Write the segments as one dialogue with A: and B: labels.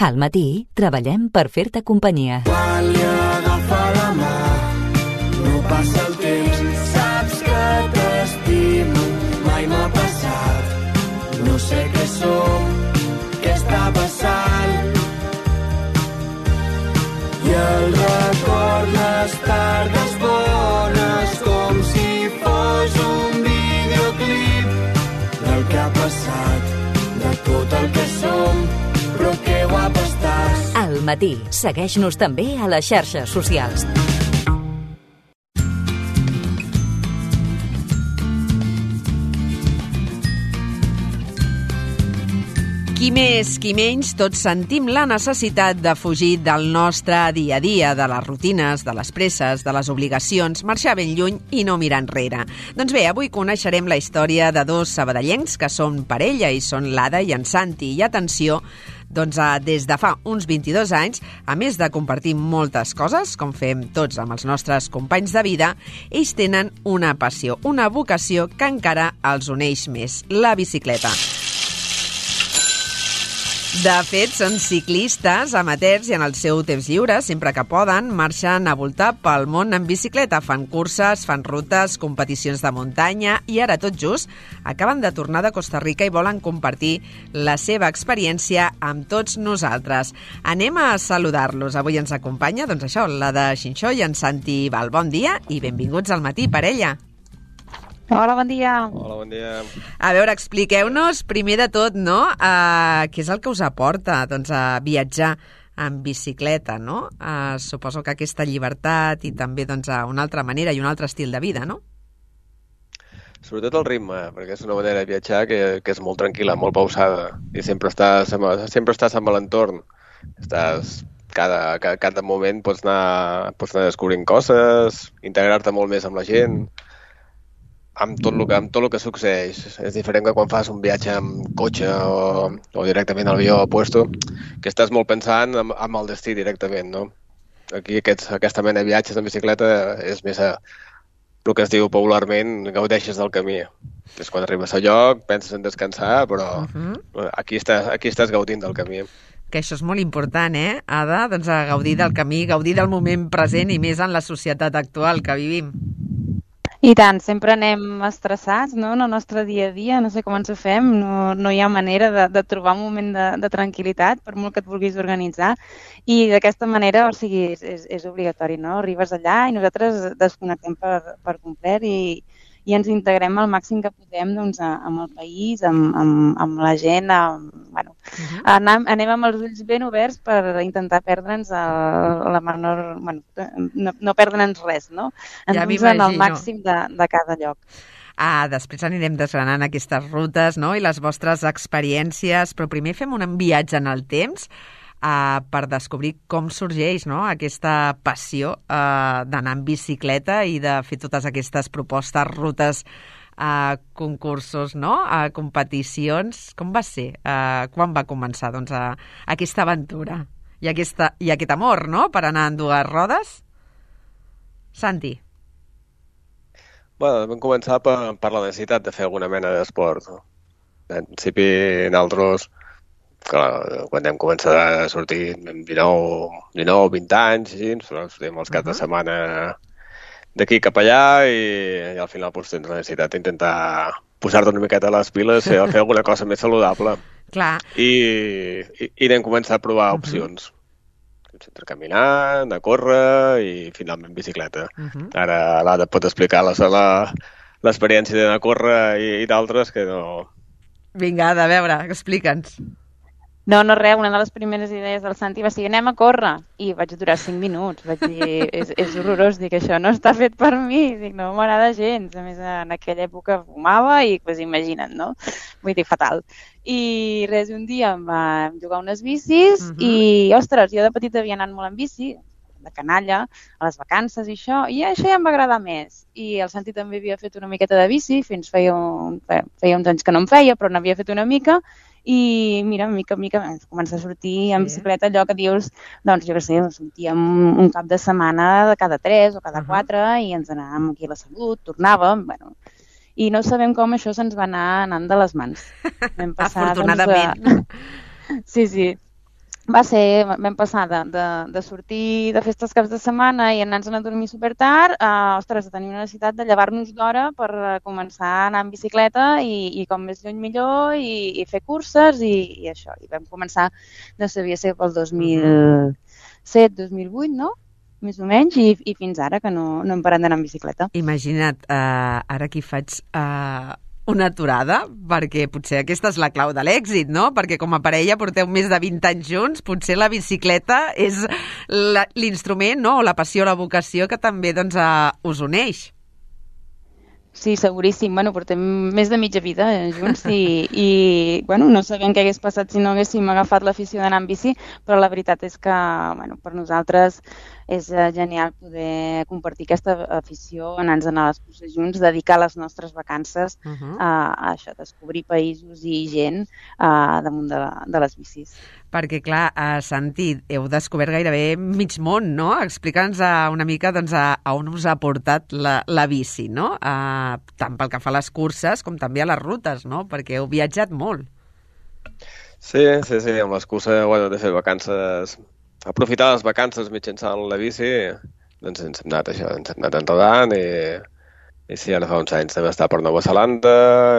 A: Al matí treballem per fer-te companyia.
B: Quan li agafa la mà, no passa el temps, saps que t'estimo, mai m'ha passat. No sé què som, què està passant. I el record les tardes bones, com si fos un videoclip del que ha passat, de tot el que som, però que guapa estàs.
A: Al matí, segueix-nos també a les xarxes socials.
C: Qui més, qui menys, tots sentim la necessitat de fugir del nostre dia a dia, de les rutines, de les presses, de les obligacions, marxar ben lluny i no mirar enrere. Doncs bé, avui coneixerem la història de dos sabadellencs que són parella i són l'Ada i en Santi. I atenció, doncs des de fa uns 22 anys, a més de compartir moltes coses, com fem tots amb els nostres companys de vida, ells tenen una passió, una vocació que encara els uneix més, la bicicleta. De fet, són ciclistes amateurs i en el seu temps lliure, sempre que poden, marxen a voltar pel món en bicicleta. Fan curses, fan rutes, competicions de muntanya i ara, tot just, acaben de tornar de Costa Rica i volen compartir la seva experiència amb tots nosaltres. Anem a saludar-los. Avui ens acompanya, doncs això, l'Ada Xinxó i en Santi Val. Bon dia i benvinguts al matí, parella.
D: Hola, bon dia.
E: Hola, bon dia.
C: A veure, expliqueu-nos, primer de tot, no?, què és el que us aporta doncs, a viatjar en bicicleta, no? Suposo que aquesta llibertat i també doncs, una altra manera i un altre estil de vida, no?
E: Sobretot el ritme, perquè és una manera de viatjar que és molt tranquil·la, molt pausada, i sempre estàs amb l'entorn. Cada moment pots anar descobrint coses, integrar-te molt més amb la gent, amb tot el que succeeix. És diferent que quan fas un viatge amb cotxe o directament al avió o puesto, que estàs molt pensant amb el destí directament, no? Aquí aquesta mena de viatges en bicicleta és més el que es diu popularment, gaudeixes del camí. És quan arribes al lloc, penses en descansar, però aquí estàs gaudint del camí.
C: Que això és molt important, Ada? Doncs a gaudir del camí, gaudir del moment present i més en la societat actual que vivim.
D: I tant, sempre anem estressats, no?, en el nostre dia a dia, no sé com ens ho fem, no hi ha manera de trobar un moment de tranquil·litat, per molt que et vulguis organitzar, i d'aquesta manera, o sigui, és obligatori, no? Arribes allà i nosaltres desconnectem per complet i ens integrem al màxim que podem doncs, amb el país, amb la gent, anem amb els ulls ben oberts per intentar perdre'ns la menor... no perdre'ns res, no? Ens en el màxim de cada lloc.
C: Després anirem desgranant aquestes rutes, no?, i les vostres experiències, però primer fem un viatge en el temps per descobrir com sorgeix, no?, aquesta passió d'anar en bicicleta i de fer totes aquestes propostes, rutes, concursos, no?, competicions. Com va ser? Quan va començar doncs, aquesta aventura i aquest amor, no?, per anar en dues rodes? Santi.
E: Bueno, vam començar per la necessitat de fer alguna mena d'esport. En principi, nosaltres, quan hem començat a sortir amb 19 o 20 anys, sortim els caps de setmana d'aquí cap allà i al final tens la necessitat d'intentar posar-te una miqueta a les piles i fer alguna cosa més saludable.
C: Clar.
E: I vam començar a provar opcions. Entre caminar, anar a córrer i finalment bicicleta. Ara l'Ada pot explicar l'experiència d'anar a córrer i d'altres que no...
C: Vinga, Ada, a veure, explica'ns.
D: No, res, una de les primeres idees del Santi va ser anem a córrer, i vaig durar 5 minuts, vaig dir, és horrorós, dic, això no està fet per mi, dic, no m'agrada gens, a més en aquella època fumava i pues, imagina't, no? Vull dir, fatal. I res, un dia em vam jugar unes bicis i, ostres, jo de petita havia anat molt en bici, de canalla, a les vacances i això ja em va agradar més. I el Santi també havia fet una miqueta de bici, fins feia uns anys que no en feia, però n'havia fet una mica, i mira, mica en mica comença a sortir en bicicleta allò que dius, doncs jo què sé, sortíem un cap de setmana de cada 3 o cada 4 i ens anàvem aquí a la Salut, tornàvem, bueno, i no sabem com això se'ns va anar anant de les mans. Vam passar,
C: afortunadament.
D: Sí. vam passar de sortir de festes caps de setmana i anar-nos a dormir supertard ostres, de tenir una necessitat de llevar-nos d'hora per començar a anar en bicicleta i com més lluny millor i fer curses i això. I vam començar, no sabia ser pel 2007-2008, no? Més o menys, i fins ara que no hem parat d'anar en bicicleta.
C: Imagina't, ara aquí faig una aturada, perquè potser aquesta és la clau de l'èxit, no? Perquè com a parella porteu més de 20 anys junts, potser la bicicleta és l'instrument, no? O la passió, la vocació que també doncs, us uneix.
D: Sí, seguríssim. Bueno, portem més de mitja vida junts i bueno, no sabem què hagués passat si no haguéssim agafat l'afició d'anar en bici, però la veritat és que bueno, per nosaltres és genial poder compartir aquesta afició, anar-nos a les curses junts, dedicar les nostres vacances a això, descobrir països i gent damunt de les bicis.
C: Perquè, clar, Santi, heu descobert gairebé mig món, no? Explica'ns una mica doncs, a on us ha portat la bici, no? Tant pel que fa a les curses com també a les rutes, no? Perquè heu viatjat molt.
E: Sí, amb les curses, bueno, de fer vacances, aprofitar les vacances mitjançant la bici, doncs ens hem anat enredant i sí, ara fa uns anys vam estar per Nova Zelanda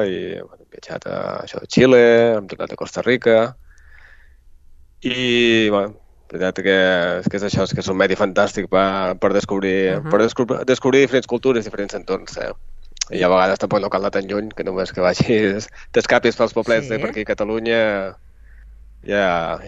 E: i hem viatjat a Xile, hem tornat a Costa Rica i, bueno, la veritat que és això, que és un medi fantàstic per descobrir diferents cultures, diferents entorns, I a vegades tampoc no cal anar tan lluny, que només que vagis, t'escapis pels poblets per aquí a Catalunya, ja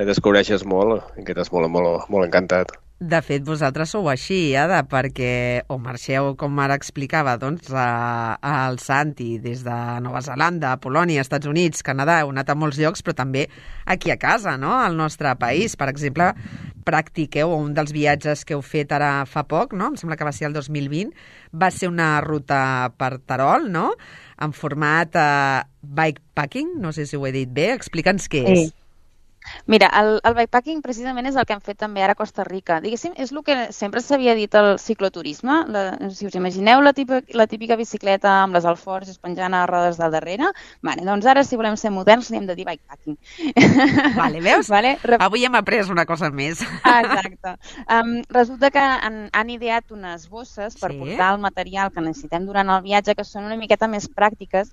E: descobreixes molt i quedes molt encantat.
C: De fet, vosaltres sou així, Ada, perquè o marxeu, com ara explicava, doncs, al Santi, des de Nova Zelanda, Polònia, Estats Units, Canadà, heu anat a molts llocs, però també aquí a casa, no?, al nostre país. Per exemple, practiqueu un dels viatges que heu fet ara fa poc, no?, em sembla que va ser el 2020, va ser una ruta per Terol, no?, en format bikepacking, no sé si ho he dit bé, explica'ns què és.
D: Mira, el bikepacking precisament és el que hem fet també ara a Costa Rica. Diguéssim, és el que sempre s'havia dit al cicloturisme. Si us imagineu la típica bicicleta amb les alforges penjant a rodes del darrere, doncs ara si volem ser moderns n'hem de dir bikepacking.
C: Vale, veus? Avui hem après una cosa més.
D: Exacte. Resulta que han ideat unes bosses per portar el material que necessitem durant el viatge que són una miqueta més pràctiques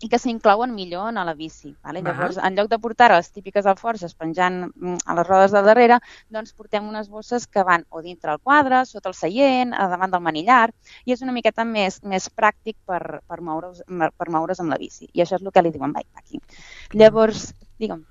D: i que s'inclouen millor a la bici. Llavors, en lloc de portar les típiques alforges penjant a les rodes del darrere, doncs portem unes bosses que van o dintre el quadre, sota el seient, davant del manillar, i és una miqueta més pràctic per moure's amb la bici. I això és el que li diuen bikepacking. Llavors, digue'm.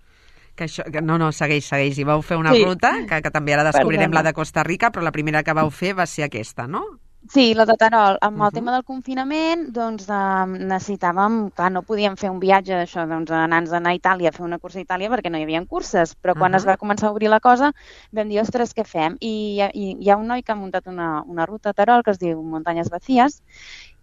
C: No, segueix. I vau fer una ruta, que també ara descobrirem la de Costa Rica, però la primera que vau fer va ser aquesta, no?
D: Sí, la de Terol. Amb el tema del confinament, doncs necessitàvem, clar, no podíem fer un viatge d'això, doncs anar-nos a Itàlia a fer una cursa a Itàlia perquè no hi havia curses, però quan es va començar a obrir la cosa vam dir, ostres, què fem? I hi ha un noi que ha muntat una ruta a Terol que es diu Muntanyes Vacíes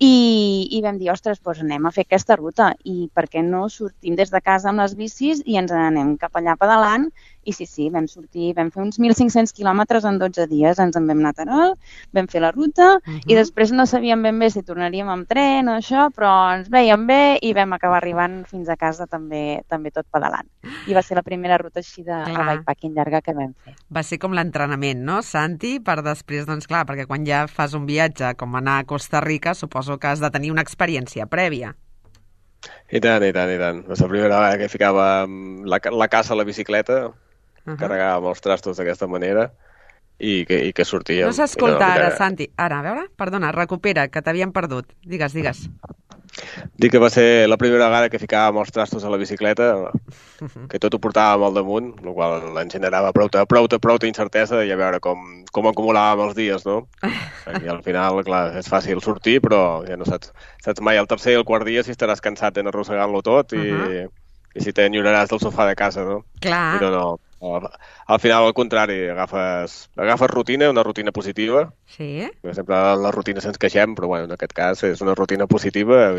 D: i vam dir, ostres, doncs anem a fer aquesta ruta i per què no sortim des de casa amb les bicis i ens anem cap allà pedalant. I sí, vam sortir, vam fer uns 1.500 quilòmetres en 12 dies, ens en vam anar a Terol, vam fer la ruta i després no sabíem ben bé si tornaríem amb tren o això, però ens veiem bé i vam acabar arribant fins a casa també tot pedalant. I va ser la primera ruta així de bikepacking llarga que vam fer.
C: Va ser com l'entrenament, no, Santi? Per després, doncs clar, perquè quan ja fas un viatge com anar a Costa Rica, suposo que has de tenir una experiència prèvia.
E: I tant. És la primera vegada que ficàvem la casa a la bicicleta, carregàvem els trastos d'aquesta manera i que sortíem.
C: No s'escolta ara, Santi. Ara, a veure, perdona, recupera, que t'havíem perdut. Digues.
E: Dic que va ser la primera vegada que ficàvem els trastos a la bicicleta, que tot ho portàvem al damunt, el qual ens generava prou incertesa i a veure com acumulàvem els dies, no? I al final, clar, és fàcil sortir, però ja no saps mai el tercer i el quart dia si estaràs cansat d'anar arrossegant-lo tot i si t'enyoraràs del sofà de casa, no?
C: Clar.
E: Però no. Al final, al contrari, agafes rutina, una rutina positiva.
C: Sí.
E: Sempre la rutina se'ns queixem, però bueno, en aquest cas és una rutina positiva.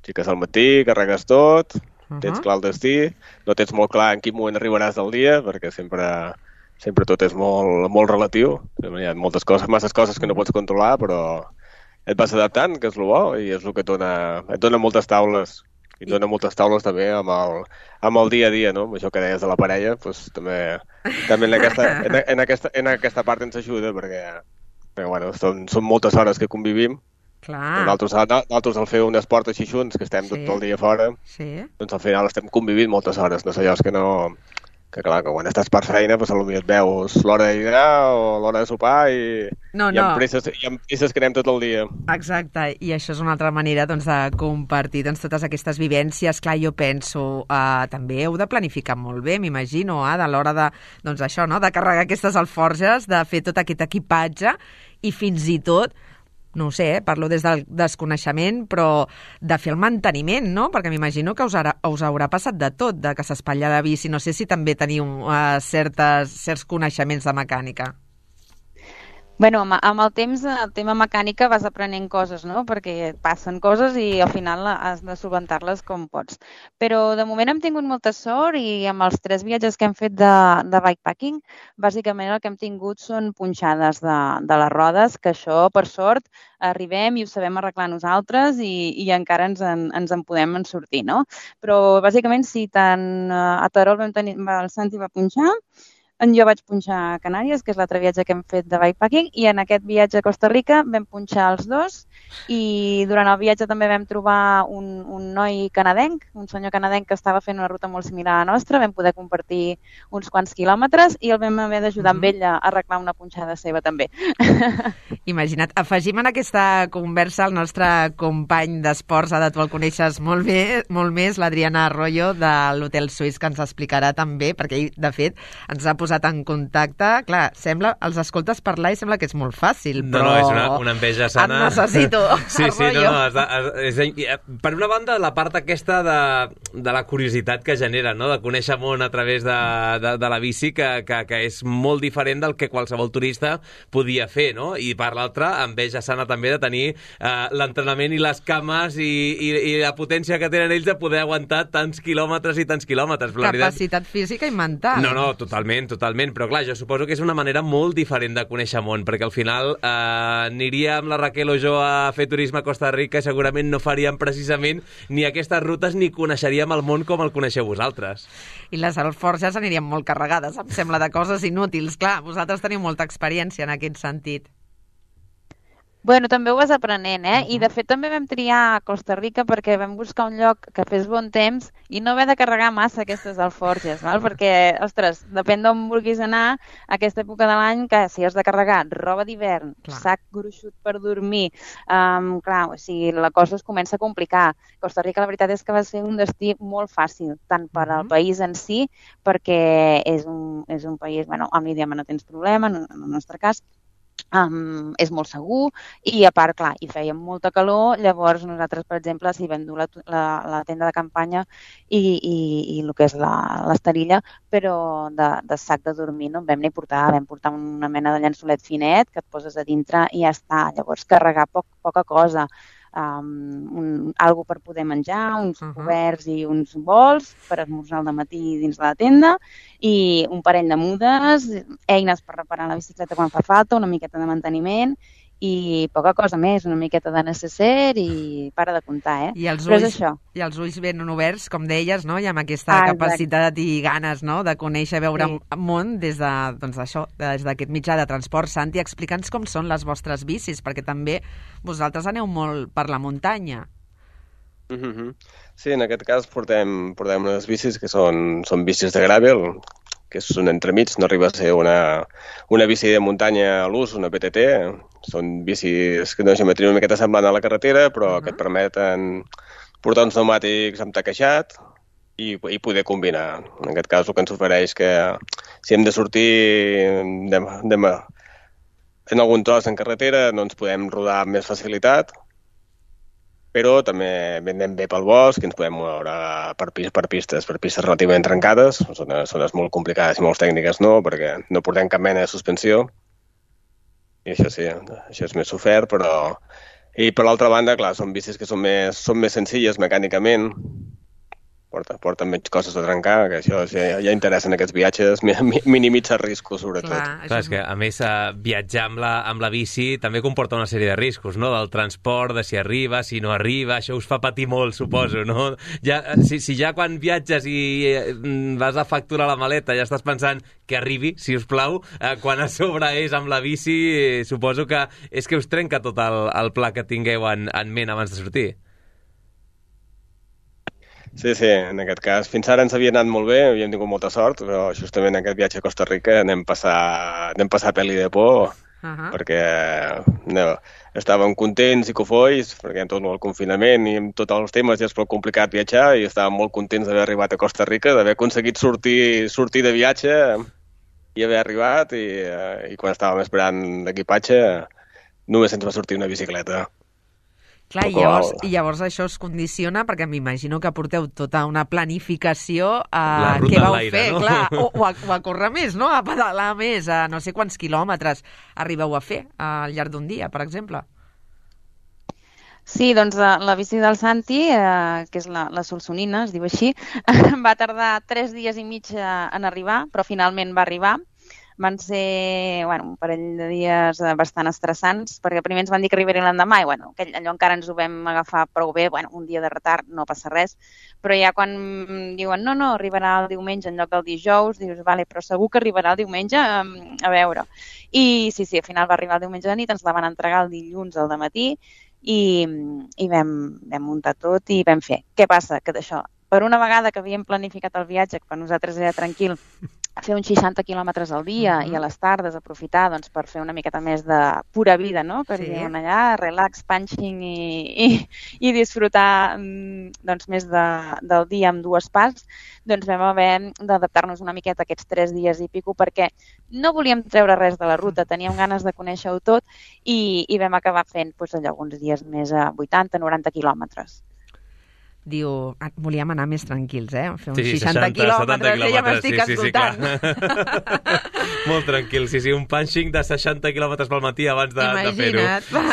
E: Fiques al matí, carregues tot, tens clar el destí, no tens molt clar en quin moment arribaràs del dia, perquè sempre tot és molt relatiu. Hi ha masses coses que no pots controlar, però et vas adaptant, que és el bo, i és el que et dona moltes taules. I dona moltes taules també amb el dia a dia, no? Amb això que deies de la parella, doncs també en aquesta part ens ajuda, perquè bueno, són moltes hores que convivim.
C: Clar.
E: Nosaltres al fer un esport així junts, que estem tot el dia fora, doncs al final estem convivint moltes hores. No sé, allò és que no... Que clar, que quan estàs per feina, doncs potser et veus l'hora de dinar o l'hora de sopar i amb presses que anem tot el dia.
C: Exacte, i això és una altra manera doncs, de compartir totes aquestes vivències. Clar, jo penso, també heu de planificar molt bé, m'imagino, a l'hora de, doncs això, no? De carregar aquestes alforges, de fer tot aquest equipatge i fins i tot, no ho sé, parlo des del desconeixement, però de fer el manteniment, no? Perquè m'imagino que us haurà passat de tot, de que s'espatlla de bici. No sé si també teniu certs coneixements de mecànica.
D: Bueno, amb el temps, el tema mecànica vas aprenent coses, no? Perquè passen coses i al final has de solventar-les com pots. Però de moment hem tingut molta sort i amb els 3 viatges que hem fet de bikepacking, bàsicament el que hem tingut són punxades de les rodes, que això, per sort, arribem i ho sabem arreglar nosaltres i encara ens en podem sortir, no? Però bàsicament sí, tant a Terol el Santi va punxar, jo vaig punxar a Canàries, que és l'altre viatge que hem fet de bikepacking, i en aquest viatge a Costa Rica vam punxar els 2 i durant el viatge també vam trobar un noi canadenc, un senyor canadenc que estava fent una ruta molt similar a la nostra, vam poder compartir uns quants quilòmetres i el vam haver d'ajudar amb ell a arreglar una punxada seva també.
C: Imagina't, afegim en aquesta conversa el nostre company d'esports, Ada, tu el coneixes molt més, l'Adriana Arroyo de l'Hotel Suís, que ens explicarà també, perquè ell, de fet, ens ha posat en contacte. Clar, els escoltes parlar i sembla que és molt fàcil, però...
F: No, és una enveja sana.
C: Et necessito, Arroyo.
F: Per una banda, la part aquesta de la curiositat que genera, no? De conèixer món a través de la bici, que és molt diferent del que qualsevol turista podia fer, no? I per l'altra, enveja sana també de tenir l'entrenament i les cames i la potència que tenen ells de poder aguantar tants quilòmetres i tants quilòmetres.
C: Capacitat física i mental.
F: No, totalment, però clar, jo suposo que és una manera molt diferent de conèixer món, perquè al final aniria amb la Raquel o jo a fer turisme a Costa Rica i segurament no faríem precisament ni aquestes rutes ni coneixeríem el món com el coneixeu vosaltres.
C: I les alforges anirien molt carregades, em sembla, de coses inútils. Clar, vosaltres teniu molta experiència en aquest sentit.
D: Bueno, també ho vas aprenent, I de fet també vam triar a Costa Rica perquè vam buscar un lloc que fes bon temps i no haver de carregar massa aquestes alforges, val? Perquè, ostres, depèn d'on vulguis anar, a aquesta època de l'any, que si has de carregar roba d'hivern, sac gruixut per dormir, clar, o sigui, la cosa es comença a complicar. Costa Rica, la veritat és que va ser un destí molt fàcil, tant per al país en si, perquè és un país, bueno, amb l'idioma no tens problema, en el nostre cas, és molt segur i a part, clar, hi feia molta calor, llavors nosaltres, per exemple, si vam dur la tenda de campanya i el que és l'esterilla, però de sac de dormir no en vam ni portar, vam portar una mena de llençolet finet que et poses a dintre i ja està, llavors carregar poca cosa, algo per poder menjar, uns coberts i uns bols per esmorzar al matí dins la tenda i un parell de mudes, eines per reparar la bicicleta quan fa falta, una miqueta de manteniment i poca cosa més, una miqueta de necesser i para de comptar,
C: I els
D: Però és això.
C: I els ulls ben oberts, com deies, no? I amb aquesta capacitat i ganes, no? De conèixer, veure món des d'aquest mitjà de transport. Santi, explica'ns com són les vostres bicis, perquè també vosaltres aneu molt per la muntanya.
E: Sí, en aquest cas portem unes bicis que són bicis de gravel, que són entremig, no arriba a ser una bici de muntanya a l'ús, una PTT. Són bicis que no geometria una miqueta semblant a la carretera, però que et permeten portar uns pneumàtics amb taquejat i poder combinar. En aquest cas, el que ens ofereix que si hem de sortir en algun tros en carretera, no ens podem rodar amb més facilitat, però també anem bé pel bosc i ens podem moure per pistes relativament trencades, zones molt complicades i molt tècniques no, perquè no portem cap mena de suspensió. I això sí, això és més sofert, però... I per l'altra banda, clar, són bicis que són més senzilles mecànicament porten menys coses a trencar, que això ja interessa en aquests viatges, minimitzar riscos, sobretot.
F: Clar, és que, a més, viatjar amb la bici també comporta una sèrie de riscos, no?, del transport, de si arriba, si no arriba, això us fa patir molt, suposo, no? Si ja quan viatges i vas a facturar la maleta ja estàs pensant que arribi, si us plau, quan a sobre és amb la bici, suposo que és que us trenca tot el pla que tingueu en ment abans de sortir.
E: Sí, en aquest cas. Fins ara ens havia anat molt bé, havíem tingut molta sort, però justament en aquest viatge a Costa Rica anem passar peli de por, perquè estàvem contents i cofois, perquè amb tot el confinament i amb tots els temes ja és prou complicat viatjar, i estàvem molt contents d'haver arribat a Costa Rica, d'haver aconseguit sortir de viatge i haver arribat, i quan estàvem esperant l'equipatge només ens va sortir una bicicleta.
C: Clar, i llavors això es condiciona, perquè m'imagino que porteu tota una planificació a què vau fer, no? Clar, o a córrer més, no? A pedalar més, a no sé quants quilòmetres arribeu a fer al llarg d'un dia, per exemple.
D: Sí, doncs la bici del Santi, que és la Solsonina, es diu així, va tardar 3 dies i mig en arribar, però finalment va arribar. Van ser un parell de dies bastant estressants, perquè primer ens van dir que arribarien l'endemà i allò encara ens ho vam agafar prou bé, un dia de retard, no passa res, però ja quan diuen no, arribarà el diumenge en lloc del dijous, dius, vale, però segur que arribarà el diumenge, a veure. I sí, al final va arribar el diumenge de nit, ens la van entregar el dilluns al dematí i vam muntar tot i vam fer. Què passa? Que d'això, per una vegada que havíem planificat el viatge, que per nosaltres era tranquil, fer uns 60 quilòmetres al dia i a les tardes aprofitar per fer una miqueta més de pura vida, no? Que diuen allà, relax, punching i disfrutar més del dia amb 2 parts, doncs vam haver d'adaptar-nos una miqueta aquests 3 dies i pico, perquè no volíem treure res de la ruta, teníem ganes de conèixer-ho tot i vam acabar fent alguns dies més a 80-90 quilòmetres.
C: Diu, volíem anar més tranquils, fer uns 60 quilòmetres, ja m'estic escoltant.
F: Sí, molt tranquil, sí, un punching de 60 quilòmetres pel matí abans de fer-ho.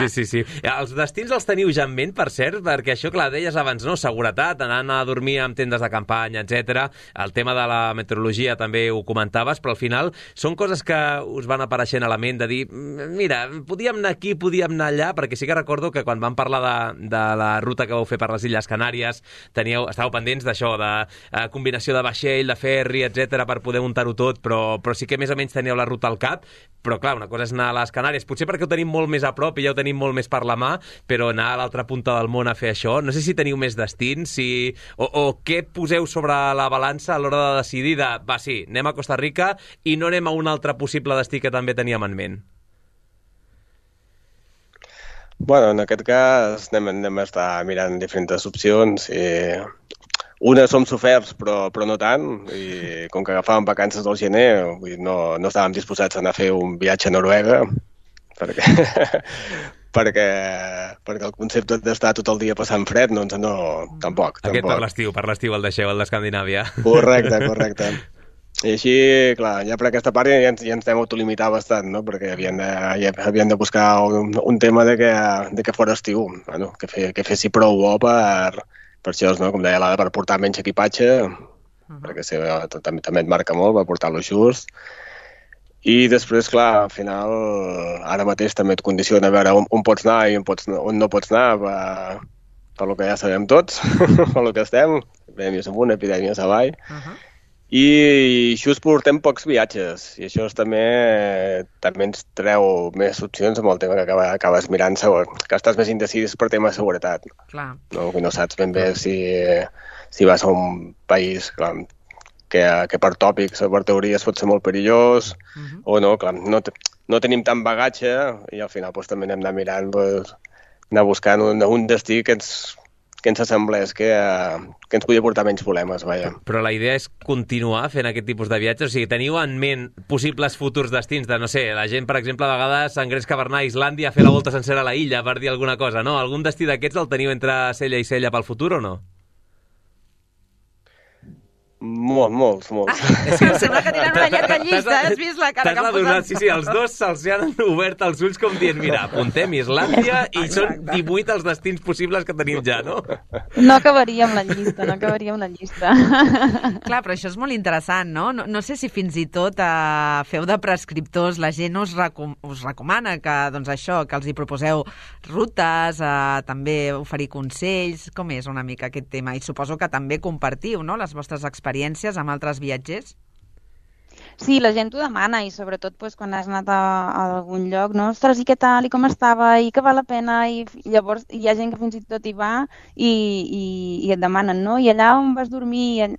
F: Sí. Els destins els teniu ja en ment, per cert, perquè això, clar, deies abans, no? Seguretat, anant a dormir amb tendes de campanya, etc. El tema de la meteorologia també ho comentaves, però al final són coses que us van apareixent a la ment de dir, mira, podíem anar aquí, podíem anar allà, perquè sí que recordo que quan vam parlar de la ruta que vau fer per les Illes Canàries, estàveu pendents d'això, de combinació de vaixell, de ferri, etc per poder muntar-ho tot, però sí que més o menys teníeu la ruta al cap, però clar, una cosa és anar a les Canàries, potser perquè ho tenim molt més a prop i ja ho tenim molt més per la mà, però anar a l'altra punta del món a fer això, no sé si teniu més destins, o què poseu sobre la balança a l'hora de decidir sí, anem a Costa Rica i no anem a un altre possible destí que també teníem en ment.
E: Bueno, en aquest cas anem a estar mirant diferents opcions. Unes som soferts, però no tant, i com que agafàvem vacances del gener, no estàvem disposats a anar a fer un viatge a Noruega, perquè el concepte d'estar tot el dia passant fred, tampoc.
F: Aquest per l'estiu el deixeu, el d'Escandinàvia.
E: Correcte. I així, clar, ja per aquesta part ja ens hem autolimitat bastant, no? Perquè havien de buscar un tema de que fos estiu, que fessi prou bo per això, no? Com deia l'Ada, per portar menys equipatge, perquè també et marca molt, per portar-lo just. I després, clar, al final, ara mateix també et condiciona a veure on pots anar i on no pots anar, per lo que ja sabem tots, per lo que estem, epidèmies amunt, epidèmies avall. I just portem pocs viatges, i això també ens treu més opcions amb el tema que acabes mirant, que estàs més indecis per tema de seguretat.
C: Clar.
E: No saps ben bé si vas a un país que per tòpics o per teories pot ser molt perillós, o no, clar, no tenim tant bagatge, i al final també anem anar mirant, anar buscant un destí que ens assemblés, que ens podia portar menys problemes, vaja.
F: Però la idea és continuar fent aquest tipus de viatges? O sigui, teniu en ment possibles futurs destins de, no sé, la gent, per exemple, a vegades s'engreix a anar a Islàndia a fer la volta sencera a la illa, per dir alguna cosa, no? Algun destí d'aquests el teniu entre cella i cella pel futur o no?
E: Molts.
C: Em sembla que tenen una llarga llista, has vist la cara que han posat?
F: Sí, els dos se'ls han obert els ulls com dient, mira, apuntem Islàndia i són 18 els destins possibles que tenim ja, no?
D: No acabaria amb la llista,
C: Clar, però això és molt interessant, no? No sé si fins i tot feu de prescriptors, la gent us recomana que, doncs això, que els hi proposeu rutes, també oferir consells, com és una mica aquest tema? I suposo que també compartiu, no?, les vostres experiències amb altres viatgers?
D: Sí, la gent ho demana i sobretot quan has anat a algun lloc, no? Ostres, i què tal, i com estava, i que val la pena, i llavors hi ha gent que fins i tot hi va i et demanen, no? I allà on vas dormir...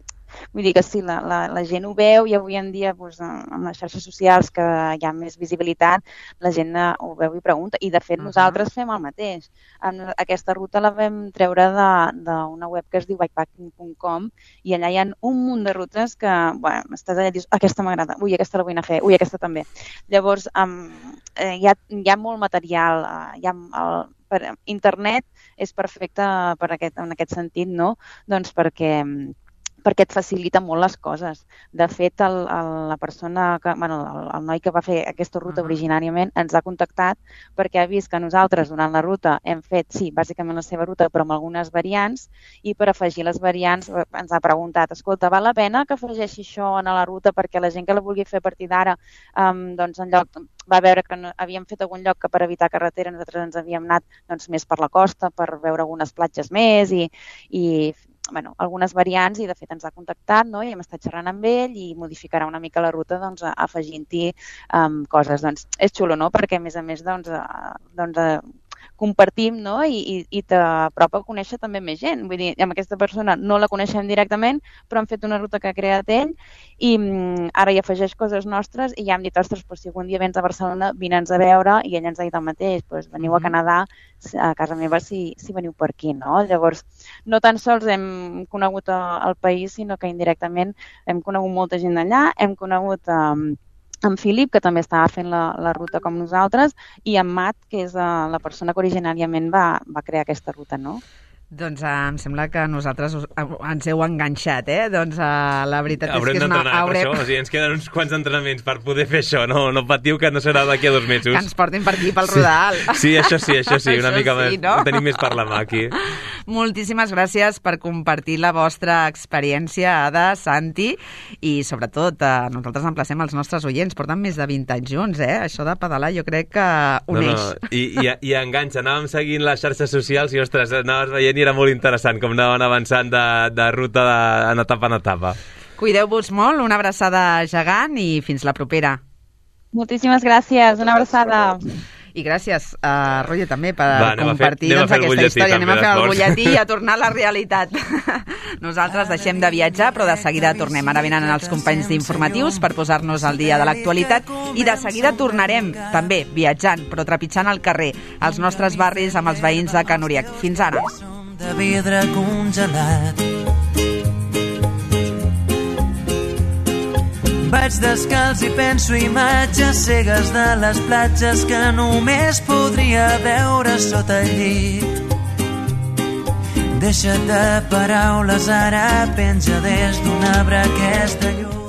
D: Vull dir que sí, la gent ho veu i avui en dia amb les xarxes socials que hi ha més visibilitat, la gent ho veu i pregunta. I de fet nosaltres fem el mateix. Aquesta ruta la vam treure d'una web que es diu bikepacking.com i allà hi ha un munt de rutes que, bueno, estàs allà i dius, aquesta m'agrada, ui, aquesta la vull anar a fer, ui, aquesta també. Llavors, hi ha molt material, per internet és perfecte en aquest sentit, no? Doncs perquè et facilita molt les coses. De fet, la persona, el noi que va fer aquesta ruta originàriament ens ha contactat perquè ha vist que nosaltres durant la ruta hem fet, sí, bàsicament la seva ruta, però amb algunes variants, i per afegir les variants ens ha preguntat, escolta, val la pena que afegeixi això a la ruta perquè la gent que la vulgui fer a partir d'ara, doncs en lloc va veure que havíem fet algun lloc que per evitar carretera nosaltres ens havíem anat més per la costa per veure algunes platges més i algunes variants, i de fet ens ha contactat, no? I hem estat xerrant amb ell i modificarà una mica la ruta afegint-hi coses. Doncs és xulo, no? Perquè a més compartim, no? I t'apropa a conèixer també més gent. Vull dir, amb aquesta persona no la coneixem directament, però hem fet una ruta que ha creat ell i ara hi afegeix coses nostres i ja hem dit, ostres, si algun dia vens a Barcelona, vine'ns a veure, i ell ens ha dit el mateix, veniu a Canadà, a casa meva si veniu per aquí, no? Llavors, no tan sols hem conegut el país, sinó que indirectament hem conegut molta gent d'allà, hem conegut en Filip, que també estava fent la ruta com nosaltres, i en Matt, que és la persona que originàriament va crear aquesta ruta, no?
C: Doncs em sembla que nosaltres ens heu enganxat, Doncs la veritat és que és una...
F: Haurem d'entrenar per això, o sigui, ens queden uns quants entrenaments per poder fer això, no patiu que no serà d'aquí a 2 mesos.
C: Que ens portin per aquí, pel Rodal.
F: Sí, això sí, una mica més, no? Tenim més per la mà aquí.
C: Moltíssimes gràcies per compartir la vostra experiència, Ada, Santi, i sobretot nosaltres emplacem els nostres oients, porten més de 20 anys junts, Això de pedalar jo crec que uneix.
F: I enganxa, anàvem seguint les xarxes socials i, ostres, anaves veient i era molt interessant com anaven avançant de ruta en etapa.
C: Cuideu-vos molt, una abraçada gegant i fins la propera.
D: Moltíssimes gràcies, una abraçada.
C: I gràcies, Roger, també, per compartir aquesta història.
F: Anem
C: a fer el butlletí i a tornar a la realitat. Nosaltres deixem de viatjar, però de seguida tornem. Ara venen els companys d'informatius per posar-nos al dia de l'actualitat i de seguida tornarem, també, viatjant, però trepitjant el carrer, als nostres barris amb els veïns de Can Uriec. Fins ara.
B: De vidre congelat. Vaig descalç i penso imatges cegues de les platges que només podria veure sota el llit. Deixa't de paraules, ara penja des d'un arbre aquesta llum.